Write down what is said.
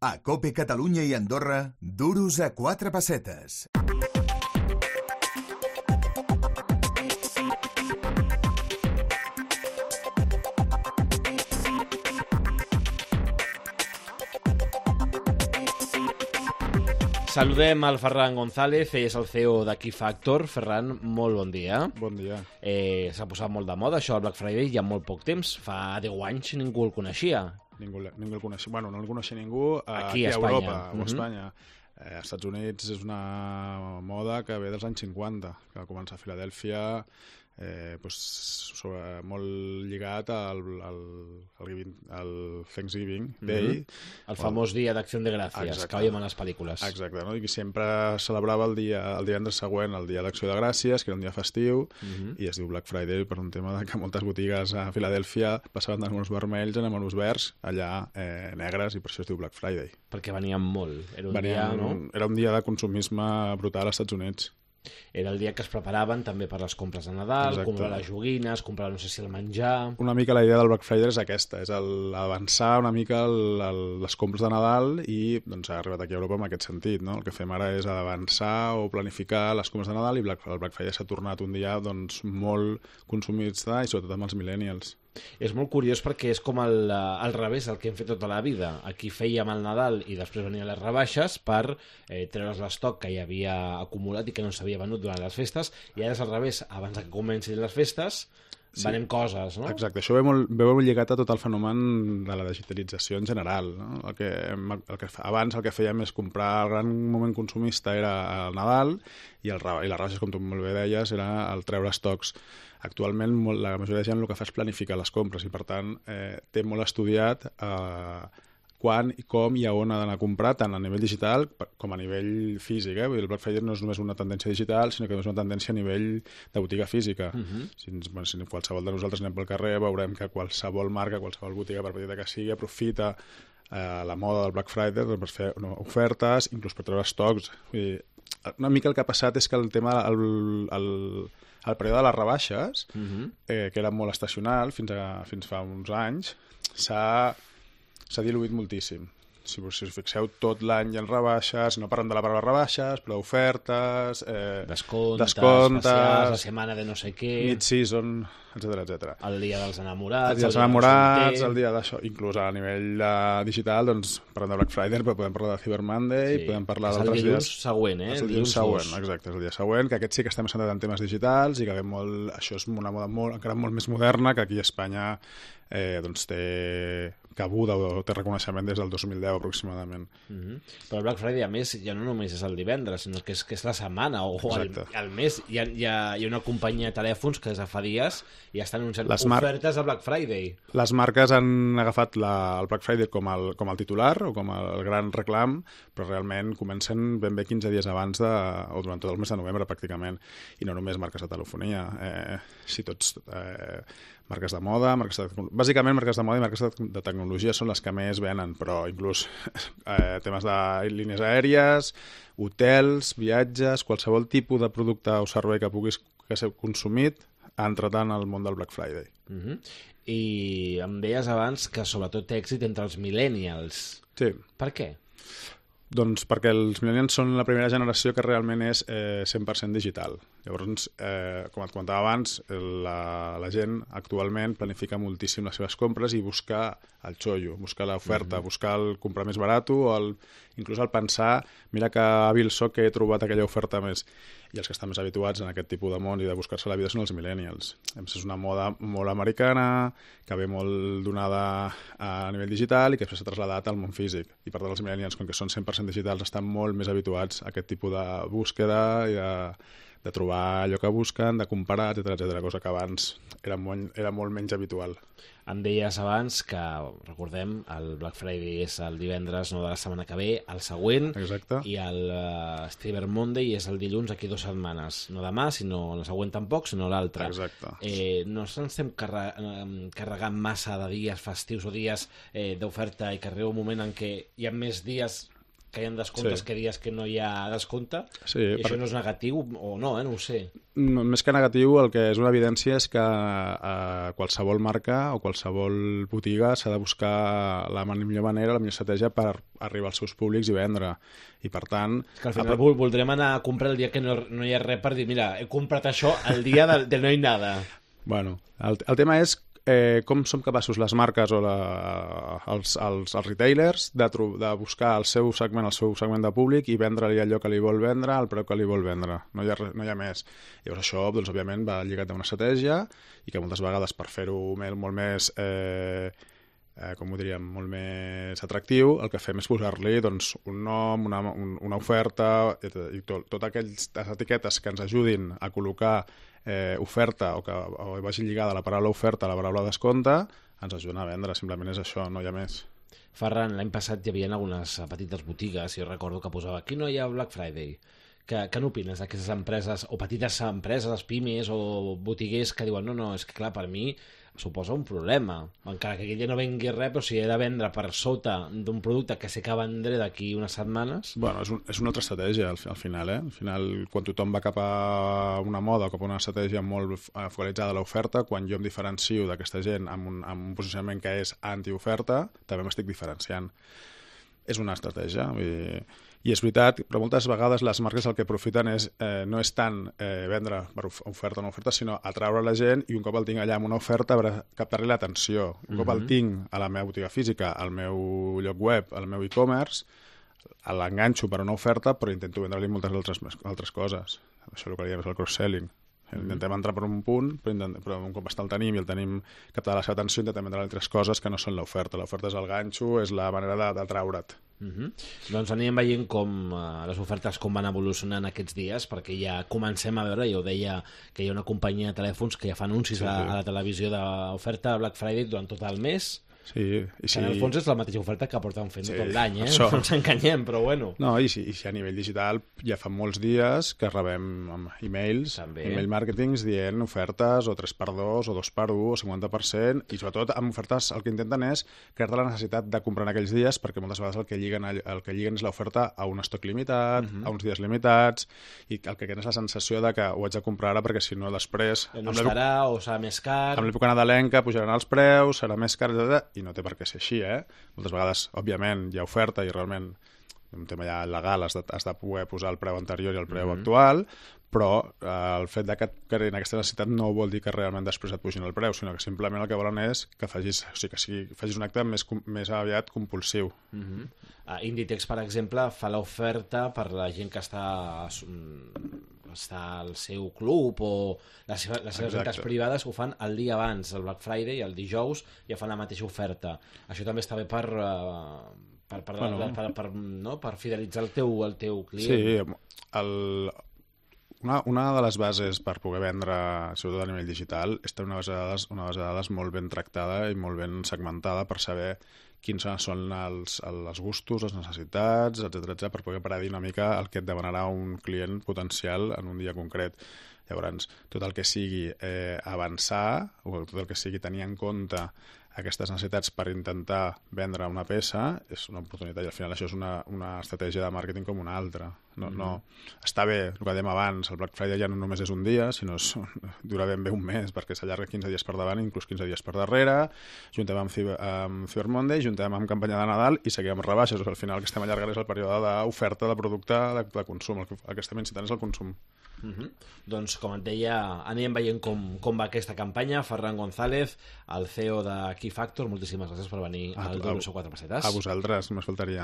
A COPE Catalunya i Andorra, duros a 4 pessetes. Saludem al Ferran González, és el CEO d'Aqui Factor. Ferran, molt bon dia. Bon dia. S'ha posat molt de moda això del Black Friday ja molt poc temps. Fa 10 anys ningú el coneixia. Ningú el coneixia. Bueno, no el coneixia ningú aquí a Europa o a Espanya. Als Estats Units és una moda que ve dels anys 50, que va començar a Filadèlfia, molt lligat al Thanksgiving Day. El famós dia d'acció de gràcies, que veiem a les pel·lícules. Exacte, no? I sempre celebrava el divendres següent, el dia d'acció de gràcies, que era un dia festiu, i es diu Black Friday per un tema que moltes botigues a Filadèlfia passaven d'anúners vermells a anúners verds, allà negres, i per això es diu Black Friday. Perquè venien molt. Era un dia de consumisme brutal als Estats Units. Era el dia que es preparaven també per les compres de Nadal, comprar les joguines, comprar no sé si el menjar... Una mica la idea del Black Friday és aquesta, és avançar una mica les compres de Nadal i doncs, ha arribat aquí a Europa en aquest sentit, no? El que fem ara és avançar o planificar les compres de Nadal i el Black Friday s'ha tornat un dia doncs, molt consumista i sobretot amb els millennials. És molt curiós perquè és com al revés del que hem fet tota la vida. Aquí fèiem el Nadal i després venien les rebaixes per treure's l'estoc que hi havia acumulat i que no s'havia venut durant les festes, i ara és al revés, abans que comencin les festes venem coses, no? Exacte, això ve molt lligat a tot el fenomen de la digitalització en general, no? Abans el que fèiem és comprar, el gran moment consumista era el Nadal i les rebaixes, com tu molt bé deies, era el treure estocs. Actualment la majoria de gent el que fa és planificar les compres i per tant té molt estudiat quan i com i a on ha d'anar a comprar, tant a nivell digital com a nivell físic. El Black Friday no és només una tendència digital, sinó que és una tendència a nivell de botiga física. Si qualsevol de nosaltres anem pel carrer, veurem que qualsevol marca, qualsevol botiga, per petita que sigui, aprofita la moda del Black Friday per fer ofertes, inclús per treure estocs. Una mica el que ha passat és que el tema... El període de les rebaixes, que era molt estacional fins fa uns anys, s'ha diluït moltíssim. Si us fixeu, tot l'any hi ha rebaixes, no parlem de la paraula rebaixes, però ofertes, descomptes, especials, la setmana de no sé què... Mid-season, etc. El dia dels enamorats... El dia d'això. Inclús a nivell digital, doncs, parlem de Black Friday, però podem parlar de Cyber Monday, podem parlar d'altres dies... És el dilluns següent, És el dilluns següent, exacte, és el dia següent, que aquest sí que estem centrats en temes digitals i que això és una moda encara molt més moderna, que aquí a Espanya té cabuda o té reconeixement des del 2010 aproximadament. Però el Black Friday, a més, ja no només és el divendres, sinó que és la setmana o el mes. Hi ha una companyia de telèfons que des de fa dies ja estan anunciant ofertes de Black Friday. Les marques han agafat el Black Friday com el titular o com el gran reclam, però realment comencen ben bé 15 dies abans o durant tot el mes de novembre pràcticament, i no només marques de telefonia, marques de moda, bàsicament marques de moda i marques de tecnologia són les que més venen, però inclús temes de línies aèries, hotels, viatges, qualsevol tipus de producte o servei que puguis ser consumit ha entrat en el món del Black Friday. I em deies abans que sobretot té èxit entre els millennials. Sí. Per què? Doncs perquè els millennials són la primera generació que realment és 100% digital. Llavors, com et comentava abans, la gent actualment planifica moltíssim les seves compres i buscar el xollo, buscar l'oferta, buscar el comprar més barat o inclús el pensar, mira que hàbil soc que he trobat aquella oferta més. I els que estan més habituats en aquest tipus de món i de buscar-se la vida són els millennials. És una moda molt americana, que ve molt donada a nivell digital i que després s'ha traslladat al món físic. I per tant els millennials, com que són 100% digitals, estan molt més habituats a aquest tipus de búsqueda i de trobar allò que busquen, de comparar, etc., cosa que abans era molt menys habitual. Em deies abans que, recordem, el Black Friday és el divendres de la setmana que ve, el següent. Exacte. I el Cyber Monday és el dilluns d'aquí 2 setmanes. No demà, sinó la següent tampoc, sinó l'altra. Exacte. No ens estem carregant massa de dies festius o dies d'oferta i que arriba un moment en què hi ha més dies que hi ha descomptes Sí. que dies que no hi ha descompte, Sí, i això no és negatiu o no, no ho sé. Més que negatiu, el que és una evidència és que qualsevol marca o qualsevol botiga s'ha de buscar la millor manera, la millor estratègia per arribar als seus públics i vendre. I per tant... Que al final voldrem anar a comprar el dia que no hi ha res per dir, mira, he comprat això el dia de no hi nada. Bueno, el tema és com som capaços les marques o els retailers de buscar el seu segment de públic i vendre-li allò que li vol vendre al preu que li vol vendre. No hi ha més. Llavors això, doncs, òbviament, va lligat a una estratègia i que moltes vegades per fer-ho molt més... com ho diríem, molt més atractiu, el que fem és posar-li doncs, un nom, una oferta i totes aquelles etiquetes que ens ajudin a col·locar oferta o que vagi lligada la paraula oferta a la paraula descompte, ens ajuden a vendre, simplement és això, no hi ha més. Ferran, l'any passat hi havia algunes petites botigues i recordo que posava aquí no hi ha Black Friday. Què n'opines d'aquestes empreses, o petites empreses, pimes o botiguers que diuen no, és que clar, per mi suposa un problema, encara que aquell dia no vengui res, però si he de vendre per sota d'un producte que sé que vendré d'aquí unes setmanes... Bueno, és una altra estratègia al final, Al final, quan tothom va cap a una moda o cap a una estratègia molt focalitzada a l'oferta, quan jo em diferencio d'aquesta gent amb un posicionament que és anti-oferta, també m'estic diferenciant. És una estratègia, i és veritat, però moltes vegades les marques el que aprofiten no és tant vendre per oferta o no oferta, sinó atraure la gent i un cop el tinc allà amb una oferta captar-li l'atenció. Un cop el tinc a la meva botiga física, al meu lloc web, al meu e-commerce, l'enganxo per una oferta però intento vendre-li moltes altres coses. Això és el que diem, és el cross-selling. Intentem entrar per un punt, però un cop el tenim i el tenim captat la seva atenció, intentem vendre altres coses que no són l'oferta. L'oferta és el ganxo, és la manera d'atraure't. Doncs anirem veient com les ofertes com van evolucionant aquests dies, perquè ja comencem a veure, jo deia que hi ha una companyia de telèfons que ja fa anuncis a la televisió d'oferta Black Friday durant tot el mes. Sí, i que en el fons és la mateixa oferta que porten fent tot l'any, això. No ens enganyem, però bueno. No, i si a nivell digital ja fa molts dies que rebem e-mails, email marketings dient ofertes o 3x2 o 2x1 o 50%, i sobretot amb ofertes el que intenten és crear-te la necessitat de comprar en aquells dies, perquè moltes vegades el que lliguen és l'oferta a un estoc limitat, a uns dies limitats, i el que queda és la sensació de que ho haig de comprar ara perquè si no després... No estarà o serà més car... Amb l'època nadalenca pujaran els preus, serà més car, etc. I no té per què ser així, Moltes vegades, òbviament, hi ha oferta i realment un tema ja legal, has de poder posar el preu anterior i el preu actual, però el fet de que creïn aquesta necessitat no vol dir que realment després et pugin el preu, sinó que simplement el que volen és que facis un acte més aviat compulsiu. Inditex, per exemple, fa l'oferta per la gent que està al seu club o les seves entitats privades ho fan el dia abans, el Black Friday, el dijous, ja fan la mateixa oferta. Això també està bé per fidelitzar el teu client. Sí, una de les bases per poder vendre, sobretot a nivell digital, és tenir una base de dades molt ben tractada i molt ben segmentada per saber quins són els gustos, les necessitats, etc per poder parar una mica el que et demanarà un client potencial en un dia concret. Llavors, tot el que sigui avançar o tot el que sigui tenir en compte aquestes necessitats per intentar vendre una peça és una oportunitat, i al final això és una estratègia de màrqueting com una altra. No, està bé, el que dèiem abans, el Black Friday ja no només és un dia, sinó dura ben bé un mes, perquè s'allarga 15 dies per davant, inclús 15 dies per darrere, juntem amb Cyber Monday, juntem amb campanya de Nadal i seguim amb rebaixes. Al final el que estem allargant és el període d'oferta de producte de consum, el que estem incitant és el consum. Doncs com et deia, anirem veient com va aquesta campanya. Ferran González, el CEO de Key Factor, moltíssimes gràcies per venir al Duro 4 Pessetes. A vosaltres, només faltaria.